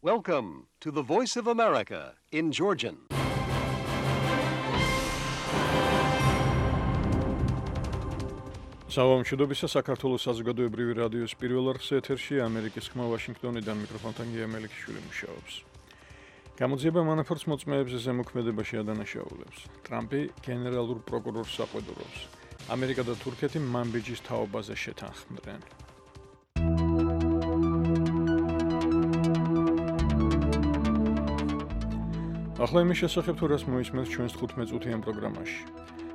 Welcome to the Voice of America in Georgian. Საუბრობთ საქართველოს საზოგადოებრივი რადიოს პირველ არხზე ეთერში ამერიკის ხმა ვაშინგტონიდან მიკროფონთან გია მელიქიშვილი მუშაობს. გამოძიება მანაფორტს მოწმეებზე ზემოქმედებაში ადანაშაულებს. ტრამპი გენერალურ პროკურორს საყვედურობს. ამერიკა და თურქეთი მანბიჯის თაობაზე შეთანხმდნენ. ახლა იმის შესახებ თუ რას მოისმენთ ჩვენს 15-წუთიან პროგრამაში.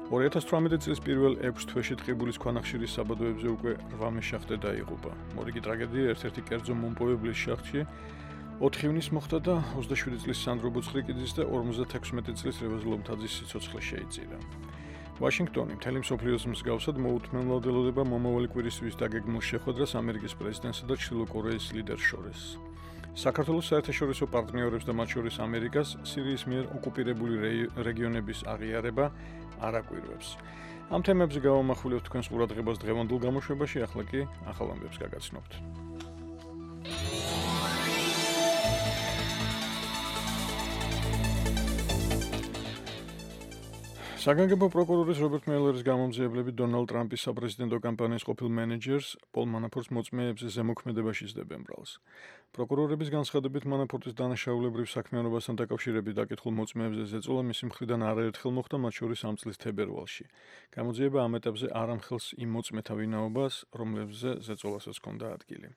2018 წლის პირველ 6 თვეში ტყიბულის ქვანახშირის საბადოებზე უკვე 8 მეშახტე დაიღუპა. მორიგი ტრაგედია ერთ-ერთი კერძო მომპოვებლის შახტში 4 ივნისს მოხდა და 27 წლის სანდრო ბუცხრიკიძის და 56 წლის რევაზ ლომთაძის სიცოცხლე შეიწირა. ვაშინგტონი მთელი მსოფლიოს მსგავსად მოუთმენლად ელოდება მომავალი კვირისთვის დაგეგმილ შეხვედრას ამერიკის პრეზიდენტსა და ჩრდილო კორეის ლიდერს შორის. საქართველოს საერთაშორისო პარტნიორებს და მათ შორის ამერიკას სირიის მიერ ოკუპირებული რეგიონების აღიარება არ აკვირვებს. ამ თემებზე გავამახვილებთ თქვენს ყურადღებას დღევანდელ გამოშვებაში, ახლა კი ახალ ამბებს გაგაცნობთ. საგანგებო პროკურორის რობერტ მეილერის გამომძიებლები დონალდ ტრამპის საპრეზიდენტო კამპანიის ყოფილ მენეჯერს პოლ მანაფორტს მოწმეებზე ზემოქმედებაში სდებენ ბრალს. პროკურორების განცხადებით მანაფორტის დანაშაულებრივ საქმიანობასთან დაკავშირებით დაკითხულ მოწმეებზე ზეწოლა მისი მხრიდან არაერთხელ მოხდა, მათ შორის ამ წლის თებერვალში. გამოძიება ამ ეტაპზე არ ამხელს იმ მოწმეთა ვინაობას, რომლებზე ზეწოლასაც ჰქონდა ადგილი.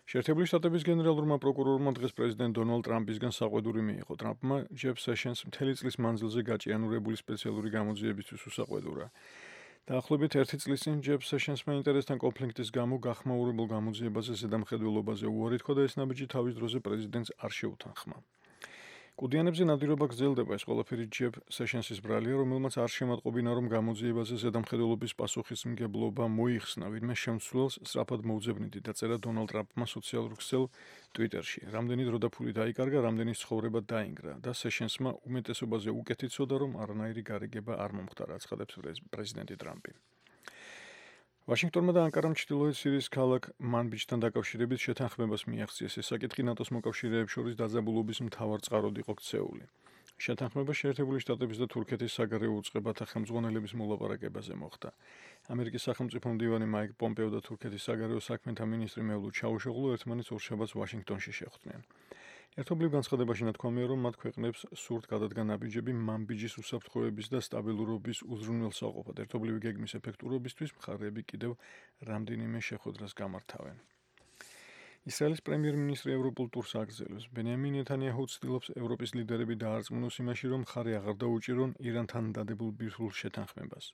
შეერთებული შტატების გენერალურმა პროკურორმა დღეს პრეზიდენტ დონალდ ტრამპისგან საყვედური მიიღო. ტრამპმა ჯეფ სეშენს მთელი წლის მანძილზე გაჭიანურებული სპეციალური გამოძიებისთვის უსაყვედურა. დაახლოებით 1 წლის წინ ჯეფ სეშენსმა ინტერესთან კონფლიქტის გამო გახმაურებულ გამოძიებაზე ზედამხედველობაზე უარი თქვა და ეს ნაბიჯი თავის დროზე პრეზიდენტს არ შეუთანხმა. კუდიანებზე ნადირობა გრძელდება, ეს ყველაფერი ჯეფ სეშენსის ბრალია, რომელმაც არ შემატყობინა, რომ გამოძიებაზე ზედამხედველობის პასუხისმგებლობა მოიხსნა ვინმე შემცვლელს სწრაფად მოუძებნიდი დაწერა დონალდ ტრამპმა სოციალურ ქსელ ტვიტერში. რამდენი დრო და ფული დაიკარგა, რამდენი ცხოვრება დაინგრა და სეშენსმა უმეტესობაზე უკეთ იცოდა, რომ არანაირი გარიგება არ მომხდარა, აცხადებს პრეზიდენტი ტრამპი. ვაშინგტონმა და ანკარამ ჩრდილოეთ სირიის ქალაქ მანბიჯთან დაკავშირებით შეთანხმებას მიაღწიეს. ეს საკითხი ნატოს მოკავშირეებს შორის დაძაბულობის მთავარ წყაროდ იყო ქცეული. შეთანხმება შეერთებული შტატების და თურქეთის საგარეო უწყებათა ხელმძღვანელების მოლაპარაკებაზე მოხდა. ამერიკის სახელმწიფო მდივანი მაიკ პომპეო და თურქეთის საგარეო საქმეთა მინისტრი მევლუდ ჩაუშოღლუ ერთმანეთს ორშაბათს ვაშინგტონში შეხვდნენ. ერთობლივ განცხადებაში ნათქვამია, რომ მათ ქვეყნებს სურთ გადადგა ნაბიჯები მანბიჯის უსაფრთხოების და სტაბილურობის უზრუნველსაყოფად. ერთობლივი გეგმის ეფექტურობისთვის მხარეები კიდევ რამდენიმე შეხვედრას გამართავენ. ისრაელის პრემიერ-მინისტრი ევროპულ ტურს აგრძელებს. ბენიამინ ნეთანიაჰუ ცდილობს ევროპის ლიდერები დაარწმუნოს იმაში, რომ მხარი აღარ დაუჭირონ ირანთან დადებულ ბირთვულ შეთანხმებას.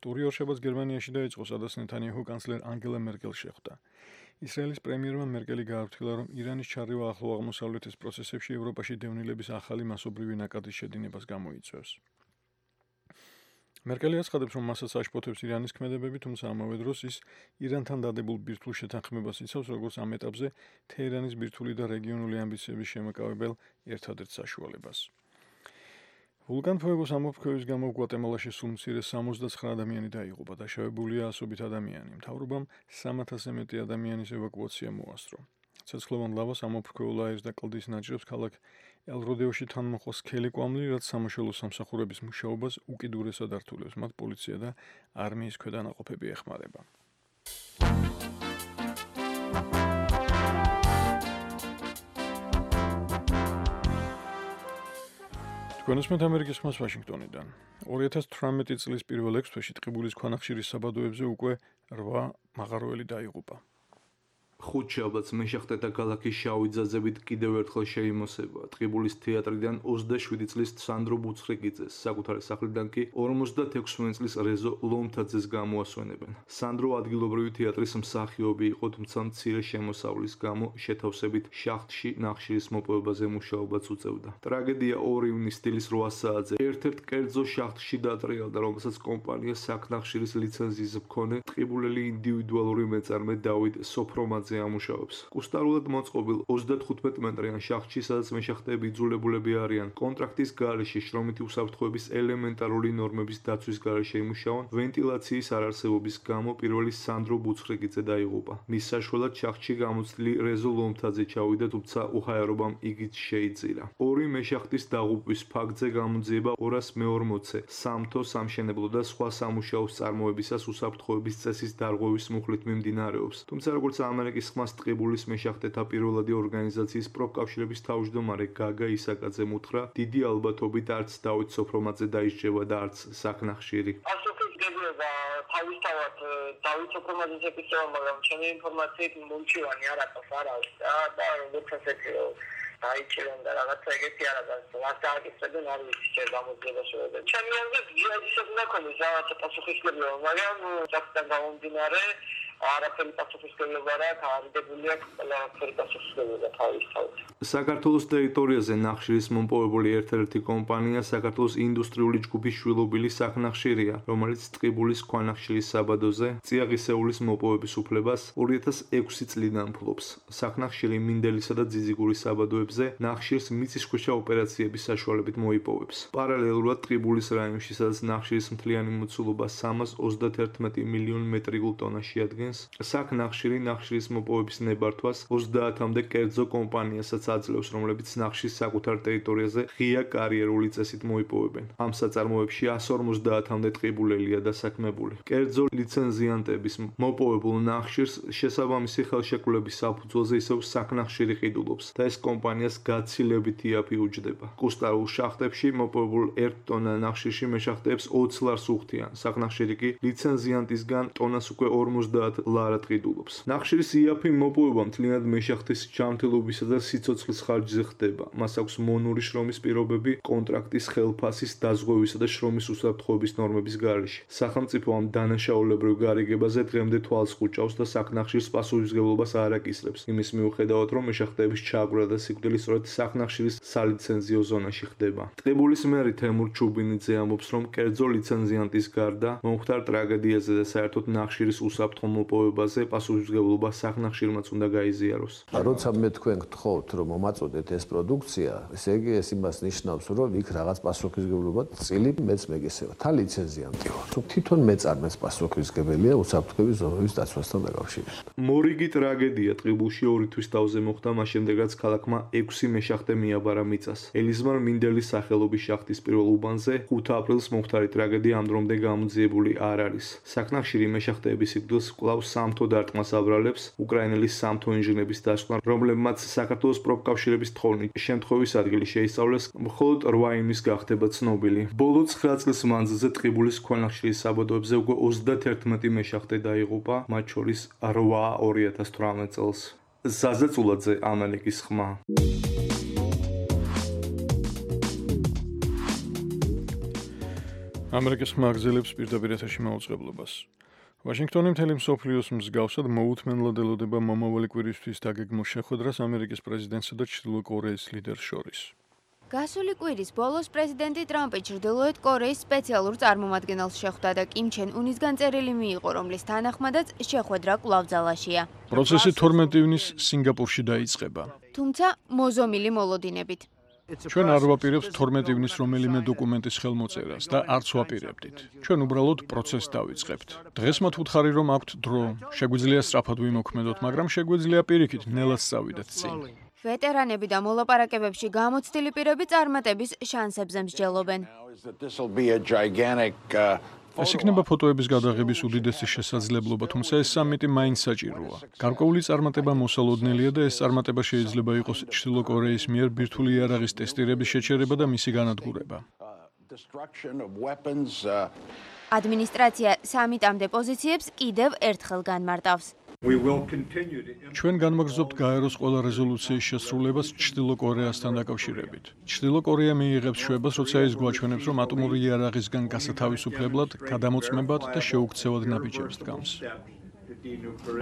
ტური ორშაბათს გერმანიაში დაიწყო, სადაც ნეთანიაჰუ კანცლერ ანგელა მერკელს შეხვდა. ისრაელის პრემიერმა მერკელი გააფრთხილა, რომ ირანის ჩარევა ახლო აღმოსავლეთის პროცესებში ევროპაში დევნილების ახალი მასობრივი ნაკადის შედინებას გამოიწვევს. მერკელი აცხადებს, რომ მასაც აშფოთებს ირანის ქმედებები, თუმცა ამავე დროს ის ირანთან დადებულ ბირთვულ შეთანხმებას იცავს, როგორც ამ ეტაპზე თეირანის ბირთვული და რეგიონული ამბიციების შემაკავებელ ერთადერთ საშუალებას. ვულკან ფუეგოს ამოფრქვევის გამო გვატემალაში სულ მცირე 69 ადამიანი დაიღუპა, დაშავებულია ასობით ადამიანი. მთავრობამ 300-ზე მეტი ადამიანის ევაკუაცია მოასწრო. ცეცხლოვან ლავას ამოფრქვეულ აირს და კლდის ნაჭრებს ქალაქ ელ-როდეოში თან მოხდა სქელი კვამლი, რაც სამაშველო სამსახურების მუშაობას უკიდურესად ართულებს. მათ პოლიცია და არმიის ქვედანაყოფები ეხმარება. გონსმენთ ამერიკის ხმას ვაშინგტონიდან. 2018 წლის პირველ 6 თვეში ტყიბულის ქვანახშირის საბადოებზე უკვე 8 მაღაროელი დაიღუპა. ხუთშაბათს მეშახტე და ქალაქის შავი ძაძებით კიდევ ერთხელ შეიმოსება. ტყიბულის თეატრიდან 27 წლის სანდრო ბუცხრიკიძეს, საკუთარი სახლიდან კი 56 წლის რეზო ლომთაძეს გამოასვენებენ. სანდრო ადგილობრივი თეატრის მსახიობი იყო, თუმცა მცირე შემოსავლის გამო შეთავსებით შახტში ნახშირის მოპოვებაზე მუშაობაც უწევდა. ტრაგედია 2 ივნისს დილის 8 საათზე ერთ-ერთ კერძო შახტში დატრიალდა, რომელსაც კომპანია საქნახშირის ლიცენზიის მქონე ტყიბულელი ინდივიდუალური მეწარმე დავით სოფრომაძე სისტემაზე ამუშავებს. კუსტარულად მოწყობილ 35 მეტრიან შახტში, სადაც მეშახტეები იძულებულები არიან კონტრაქტის გარეშე შრომითი უსაფრთხოების ელემენტარული ნორმების დაცვის გარეშე იმუშაონ, ვენტილაციის არარსებობის გამო პირველი სანდრო ბუცხრიკიძე დაიღუპა. მის საშუალად შახტში გამოცდილი რეზო ლომთაძე ჩავიდა, თუმცა უხაერობამ იგი შეიწირა. ორი მეშახტის დაღუპვის ფაქტზე გამოძიება 240-ე სამთო, სამშენებლო და სხვა სამუშაოს წარმოებისას უსაფრთხოების წესის დარღვევის მუხლით მიმდინარეობს. თუმცა როგორც ამერიკის ხმას ტყიბულის მეშახტეთა პირველადი ორგანიზაციის პროფკავშირების თავმჯდომარე გაგა ისაკაძემ უთხრა, დიდი ალბათობით არც დავით სოფრომაძე დაისჯება და არც საქნახშირი. თავისთავად დავით სოფრომაძეს ეკისრება, მაგრამ ჩემი ინფორმაციით მომჩივანი არაფერს არ არის და როგორც ასეთი დაიჭირონ და რაღაცა ეგეთი არ არის. რაც დააკისრებენ არ ვიცი ჯერ გამოძიებაში და ჩემი აზრით ჯიადის უნდა ქონდეს რაღაცა პასუხისმგებლობა, მაგრამ საკუთარ გამომდინარე არაფერი პასუხისმგებლობა რა თავიდებული აქვს ყველაფერი პასუხისმგებლობა თავისთავად. საქართველოს ტერიტორიაზე ნახშირის მომპოვებული ერთ-ერთი კომპანია საქართველოს ინდუსტრიული ჯგუფის შვილობილი საქნახშირია, რომელიც ტყიბულის ქვანახშირის საბადოზე წიაღისეულის მოპოვების უფლებას 2006 წლიდან ფლობს. საქნახშირი მინდელისა და ძიძიგურის საბადოებზე ნახშირს მიწისქვეშა ოპერაციების საშუალებით მოიპოვებს. პარალელურად ტყიბულის რაიონში, სადაც ნახშირის მთლიანი მოცულობა 331 მილიონი მეტრიკულ ტონაში ადგენს, საქნახშირი ნახშირის მოპოვების ნებართვას 30-მდე კერძო კომპანიასაც აძლევს, რომლებიც ნახშირს საკუთარ ტერიტორიაზე ღია კარიერული წესით მოიპოვებენ. ამ საწარმოებში 150-მდე ტყიბულელია დასაქმებული. კერძო ლიცენზიანტების მოპოვებულ ნახშირს შესაბამისი ხელშეკრულების საფუძველზე ისევ საქნახშირი ყიდულობს და ეს კომპანიას გაცილებით იაფი უჯდება. კუსტარულ შახტებში მოპოვებულ 1 ტონა ნახშირში მეშახტეებს 20 ლარს უხდიან. საქნახშირი კი ლიცენზიანტისგან ტონას უკვე 50 ლარად ყიდულობს. ნახშირის იაფი მოპოვება მთლიანად მეშახტის ჯანმრთელობისა და სიცოცხლის ხარჯზე ხდება. მას აქვს მონური შრომის პირობები კონტრაქტის ხელფასის დაზღვევისა და შრომის უსაფრთხოების ნორმების გარეშე. სახელმწიფო ამ დანაშაულებრივ გარიგებაზე დღემდე თვალს ხუჭავს და საქნახშირს პასუხისმგებლობას არ აკისრებს, იმის მიუხედავად, რომ მეშახტეების ჩააგრა და სიკვდილი სწორედ საქნახშირის სალიცენზიო ზონაში ხდება. ტყიბულის მერი თემურ ჩუბინიძე ამბობს, რომ კერძო ლიცენზიანტის გარდა მომხდარ ტრაგედიაზე და საერთოდ ნახშირის უსაფრთხო მოპოვებაზე პასუხისმგებლობა საქნახშირმაც უნდა გაიზიაროს. როცა მე თქვენ გთხოვთ, რომ მომაწოდეთ ეს პროდუქცია, ესე იგი ეს იმას ნიშნავს, რომ იქ რაღაც პასუხისმგებლობა წილი მეც მეგესება. თან ლიცენზიანტი ვარ. თვითონ მეწარმეს პასუხისმგებელია უსაფრთხოების ზონების დაცვასთან დაკავშირებით. მორიგი ტრაგედია ტყიბულში 2 თვის თავზე მოხდა, მას შემდეგ რაც ქალაქმა 6 მეშახტე მიაბარა მიწას. ელიზმარ მინდელის სახელობის შახტის პირველ უბანზე 5 აპრილს მომხდარი ტრაგედია ამ დრომდე გამოძიებული არ არის. საქნახშირი მეშახტეების სიკვდილს კვლავ სამთო დარტყმას აბრალებს უკრაინელი სამთო ინჟინრების დასკვნა, რომლებმაც საქართველოს პროფკავშირების თხოვნით შემთხვევის ადგილი შეისწავლეს, მხოლოდ 8 იმის გახდება ცნობილი. ბოლო 9 წლის მანძილზე ტყიბულის ქვანახშირის საბადოებზე უკვე 31 მეშახტე დაიღუპა, მათ შორის 8 2018 წელს. ზაზა წულაძე, ამერიკის ხმა. ამერიკის ხმა აგრძელებს პირდაპირ ეთერში მაუწყებლობას. ვაშინგტონი მთელი მსოფლიოს მსგავსად მოუთმენლად ელოდება მომავალი კვირისთვის დაგეგმოს შეხვედრას ამერიკის პრეზიდენტსა და ჩრდილო კორეის ლიდერს შორის. გასული კვირის ბოლოს პრეზიდენტი ტრამპი ჩრდილოეთ კორეის სპეციალურ წარმომადგენელს შეხვდა და კიმ ჩენ უნის განწერილი მიიღო, რომლის თანახმადაც შეხვედრა კვლავ ძალაშია. პროცესი 12 ივნის სინგაპურში დაიწყება. თუმცა მოზომილი მოლოდინებით. ჩვენ არ ვაპირებთ 12 ივნის რომელიმე დოკუმენტის ხელმოწერას და არც ვაპირებდით. ჩვენ უბრალოდ პროცესს დავიწყებთ. დღეს მათ უთხარი რომ აქვთ დრო, შეგვიძლია სწრაფად ვიმოქმედოთ, მაგრამ შეგვიძლია პირიქით ნელად წავიდეთ წინ. ვეტერანები და მოლაპარაკებებში გამოცდილი პირები წარმატების შანსებზე მსჯელობენ. ეს იქნება ფოტოების გადაღების უდიდესი შესაძლებლობა, თუმცა ეს სამიტი მაინც საჭიროა. გარკვეული წარმატება მოსალოდნელია და ეს წარმატება შეიძლება იყოს ჩრდილო კორეის მიერ ბირთვული იარაღის ტესტირების შეჩერება და მისი განადგურება. ადმინისტრაცია სამიტამდე პოზიციებს კიდევ ერთხელ განმარტავს. ჩვენ განვაგრძობთ გაეროს ყველა რეზოლუციის შესრულებას ჩრდილო კორეასთან დაკავშირებით. ჩრდილო კორეა მიიღებს შვებას, როცა ის გვაჩვენებს, რომ ატომური იარაღისგან გასათავისუფლებლად, გადამოწმებად და შეუქცევად ნაბიჯებს დგამს.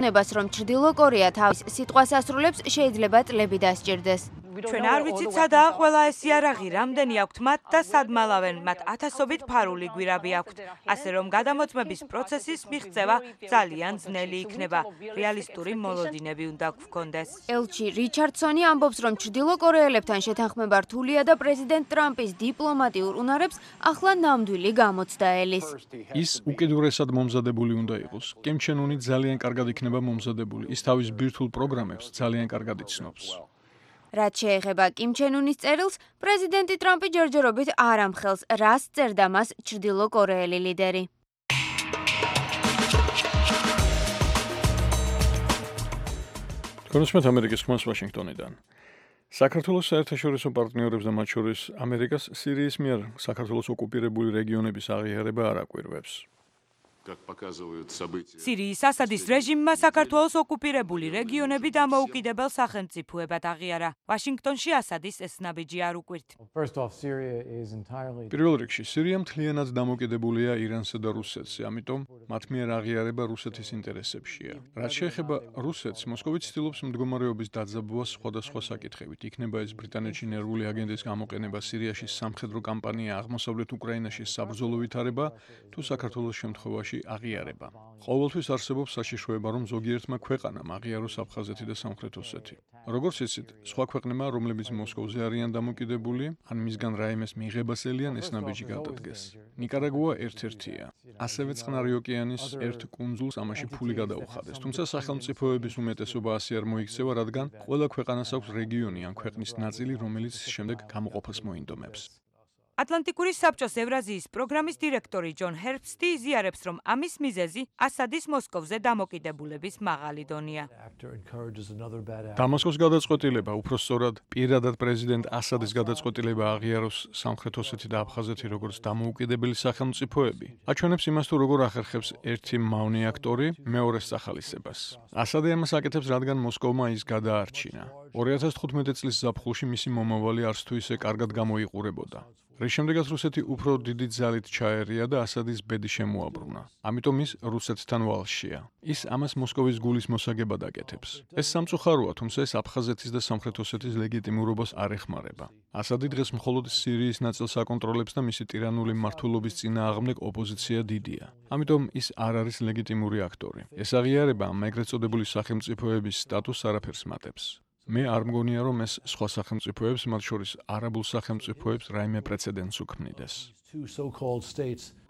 ნებას რომ ჩრდილო კორეა თავის სიტყვას ასრულებს, შეიძლება წლები დასჭირდეს. ჩვენ არ ვიცით სადაა ყველა ეს იარაღი, რამდენი აქვთ მათ და სად მალავენ, მათ ათასობით ფარული გვირაბი აქვთ. ასე რომ გადამოწმების პროცესის მიღწევა ძალიან ძნელი იქნება. რეალისტური მოლოდინები უნდა გვქონდეს. ელჩი რიჩარდსონი ამბობს, რომ ჩრდილო კორეელებთან შეთანხმება რთულია და პრეზიდენტ ტრამპის დიპლომატიურ უნარებს ახლა ნამდვილი გამოცდა ელის. ის უკიდურესად მომზადებული უნდა იყოს. კიმ ჩენ უნი ძალიან კარგად იქნება მომზადებული. ის თავის ბირთვულ პროგრამებს ძალიან კარგად იცნობს. რაც შეეხება კიმ ჩენ უნის წერილს, პრეზიდენტი ტრამპი ჯერჯერობით არ ამხელს, რას წერდა მას ჩრდილო კორეელი ლიდერი. კონსმეთ ამერიკის ხმას ვაშინგტონიდან. საქართველოს საერთაშორისო პარტნიორებს და მათ შორის ამერიკას სირიის მიერ საქართველოს ოკუპირებული რეგიონების აღიარება არ აკვირვებს. სირიის ასადის რეჟიმმა საქართველოს ოკუპირებული რეგიონები დამოუკიდებელ სახელმწიფოებად აღიარა. ვაშინგტონში ასადის ეს ნაბიჯი არ უკვირთ. პირველ რიგში სირია მთლიანად დამოკიდებულია ირანსა და რუსეთზე, ამიტომ მათ მიერ აღიარება რუსეთის ინტერესებშია. რაც შეეხება რუსეთს, მოსკოვი ცდილობს მდგომარეობის დაძაბვას სხვადასხვა საკითხებით. იქნება ეს ბრიტანეთში ნერვული აგენტის გამოყენება, სირიაში სამხედრო კამპანია, აღმოსავლეთ უკრაინაში საბრძოლო ვითარება, თუ საქართველოს შემთხვევაში აღიარება. ყოველთვის არსებობს საშიშროება, რომ ზოგიერთმა ქვეყანამ აღიაროს აფხაზეთი და სამხრეთ ოსეთი. როგორც იცით, სხვა ქვეყნებმა, რომლებიც მოსკოვზე არიან დამოკიდებული, ან მისგან რაიმეს მიღებას ელიან, ეს ნაბიჯი გადადგეს. ნიკარაგუა ერთ-ერთია. ასევე წყნარი ოკეანის ერთ კუნძულს ამაში ფული გადაუხადეს. თუმცა სახელმწიფოების უმეტესობა ასე არ მოიქცევა, რადგან ყველა ქვეყანას აქვს რეგიონი ან ქვეყნის ნაწილი, რომელიც შემდეგ გამოყოფას მოინდომებს. ატლანტიკური საბჭოს ევრაზიის პროგრამის დირექტორი ჯონ ჰერბსტი იზიარებს, რომ ამის მიზეზი ასადის მოსკოვზე დამოკიდებულების მაღალი დონეა. დამასკოს გადაწყვეტილება, უფრო სწორად, პირადად პრეზიდენტ ასადის გადაწყვეტილება აღიაროს სამხრეთ ოსეთი და აფხაზეთი როგორც დამოუკიდებელი სახელმწიფოები, აჩვენებს იმას, თუ როგორ ახერხებს ერთი მავნე აქტორი მეორეს სახალისებას. ასადი ამას აკეთებს, რადგან მოსკოვმა ის გადაარჩინა. 2015 წლის ზაფხულში მისი მომავალი არც თუ ისე კარგად გამოიყურებოდა. რის შემდეგაც რუსეთი უფრო დიდი ძალით ჩაერია და ასადის ბედი შემოაბრუნა. ამიტომ ის რუსეთთან ვალშია. ის ამას მოსკოვის გულის მოსაგებად აკეთებს. ეს სამწუხაროა, თუმცა ეს აფხაზეთის და სამხრეთ ოსეთის ლეგიტიმურობას არ ეხმარება. ასადი დღეს მხოლოდ სირიის ნაწილს აკონტროლებს და მისი ტირანული მმართველობის წინააღმდეგ ოპოზიცია დიდია. ამიტომ ის არ არის ლეგიტიმური აქტორი. ეს აღიარება ამ ეგრეთ წოდებული სახელმწიფოების სტატუსს არაფერს მატებს. მე არ მგონია, რომ ეს სხვა სახელმწიფოებს, მათ შორის არაბულ სახელმწიფოებს, რაიმე პრეცედენტს უქმნიდეს.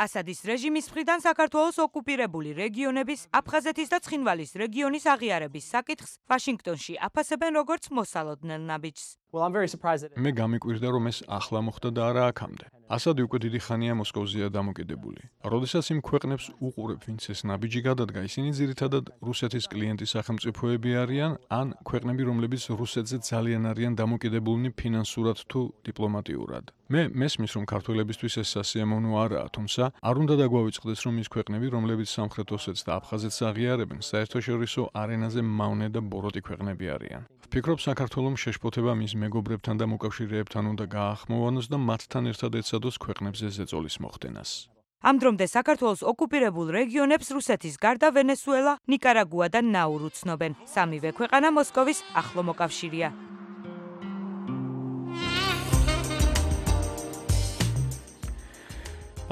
ასადის რეჟიმის მხრიდან საქართველოს ოკუპირებული რეგიონების, აფხაზეთის და ცხინვალის რეგიონის აღიარების საკითხს ვაშინგტონში აფასებენ როგორც მოსალოდნელ ნაბიჯს. მე გამიკვირდა, რომ ეს ახლა მოხდა და არა აქამდე. ასადი უკვე დიდი ხანია მოსკოვზეა დამოკიდებული. როდესაც იმ ქვეყნებს უყურებ, ვინც ეს ნაბიჯი გადადგა, ისინი ძირითადად რუსეთის კლიენტი სახელმწიფოები არიან, ან ქვეყნები, რომლებიც რუსეთზე ძალიან არიან დამოკიდებულნი ფინანსურად თუ დიპლომატიურად. მე მესმის, რომ ქართველებისთვის ეს სასიამოვნო არაა, თუმცა არ უნდა დაგვავიწყდეს, რომ ის ქვეყნები, რომლებიც სამხრეთ ოსეთს და აფხაზეთს აღიარებენ, საერთაშორისო არენაზე მავნე და ბოროტი ქვეყნები არიან. ვფიქრობ, საქართველოს შეშფოთება მის მეგობრებთან და მოკავშირეებთან უნდა გაახმოვანოს და მათთან ერთად ეცადოს ქვეყნებზე ზეწოლის მოხდენას. ამ დრომდე საქართველოს ოკუპირებულ რეგიონებს რუსეთის გარდა ვენესუელა, ნიკარაგუა და ნაურუ ცნობენ. სამივე ქვეყანა მოსკოვის ახლო მოკავშირეა.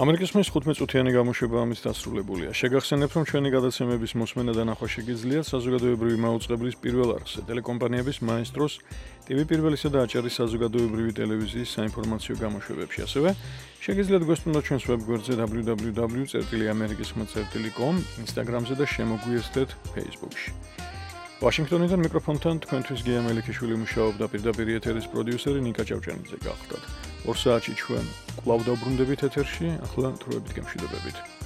ამერიკის ხმის 15 წუთიანი გამოშვება ამის დასრულებულია. შეგახსენებთ, რომ ჩვენი გადაცემების მოსმენა და ნახვა შეგიძლიათ საზოგადოებრივი მაუწყებლის პირველ არხზე, ტელეკომპანიების მაესტროს, TV პირველისა და აჭარის საზოგადოებრივი ტელევიზიის საინფორმაციო გამოშვებებში. ასევე შეგიძლიათ გვესტუმროთ ჩვენს ვებგვერდზე www.amerikiskhma.com, Instagram-ზე და შემოგვიერთდეთ Facebook-ში. ვაშინგტონიდან მიკროფონთან თქვენთვის გია მელიქიშვილი მუშაობდა, პირდაპირ ეთერის პროდიუსერი ნიკა ჭავჭანიძე გახლდათ. 2 საათში ჩვენ კვლავ დავბრუნდებით ეთერში, ახლა თროებით გემშვიდობებით.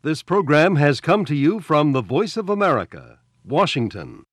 This program has come to you from the Voice of America, Washington.